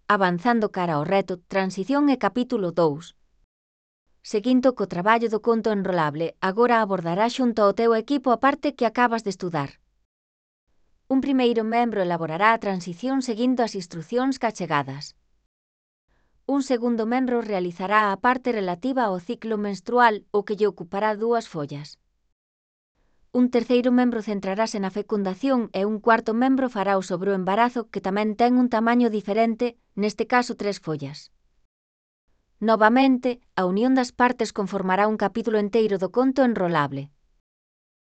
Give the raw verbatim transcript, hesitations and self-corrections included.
Avanzando cara ao reto, transición e capítulo dous. Seguindo co traballo do conto enrolable, agora abordará xunto ao teu equipo a parte que acabas de estudar. Un primeiro membro elaborará a transición seguindo as instrucións cachegadas. Un segundo membro realizará a parte relativa ao ciclo menstrual, o que lle ocupará dúas follas. Un terceiro membro centrarase na fecundación e un cuarto membro fará o sobre o embarazo, que tamén ten un tamaño diferente, neste caso tres follas. Novamente, a unión das partes conformará un capítulo enteiro do conto enrolable.